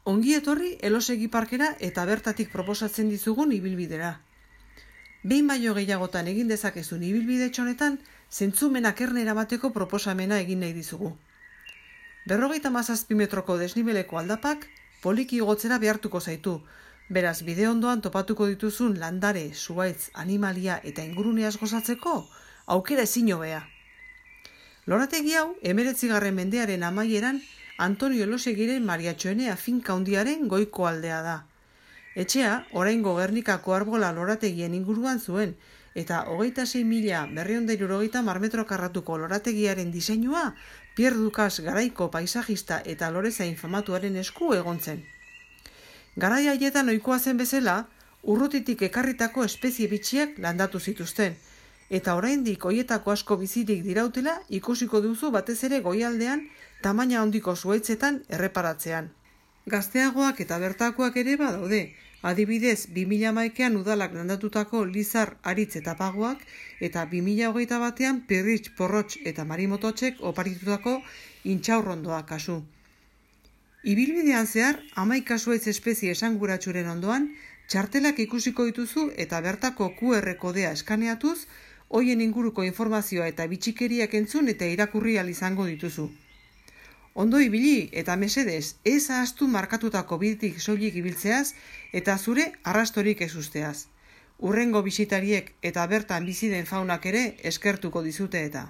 Ongi etorri Elosegi parkera eta bertatik proposatzen dizugun ibilbidera. Behin baino gehiagotan egin dezakezun ibilbide honetan, zentzumenak erne eramateko proposamena egin nahi dizugu. 57 metroko desnibeleko aldapak poliki igotzera behartuko zaitu, beraz bide ondoan topatuko dituzun landare, zuhaitz, animalia eta inguruneaz gozatzeko aukera ezin hobea. Lorategi hau 19. mendearen amaieran Antonio Elosegiren Mariatxoenea finka handiaren goiko aldea da. Etxea, oraingo Gernikako arbola lorategien inguruan zuen, eta 26.970 marmetro karratuko lorategiaren diseinua Pierre Dukas garaiko paisajista eta lorezain famatuaren esku egon zen. Garai haietan ohikoa zen bezala, urrutitik ekarritako espezie bitxiak landatu zituzten, eta oraindik hoietako asko bizirik dirautela ikusiko duzu batez ere goialdean tamaina handiko zuhaitzetan erreparatzean. Gazteagoak eta bertakoak ere badaude, adibidez 2011an udalak landatutako lizar, aritz eta pagoak, eta 2021an pirritx, porrotx eta marimototxek oparitutako intxaurrondoa kasu. Ibilbidean zehar, 11 zuhaitz espezie esanguratsuren ondoan, txartelak ikusiko dituzu eta bertako QR kodea eskaneatuz, hoien inguruko informazioa eta bitxikeriak entzun eta irakurri ahal izango dituzu. Ondo ibili eta mesedez, ez ahaztu markatutako bidetik soilik ibiltzeaz eta zure arrastorik ez usteaz. Hurrengo bisitariek eta bertan bizi den faunak ere eskertuko dizute eta.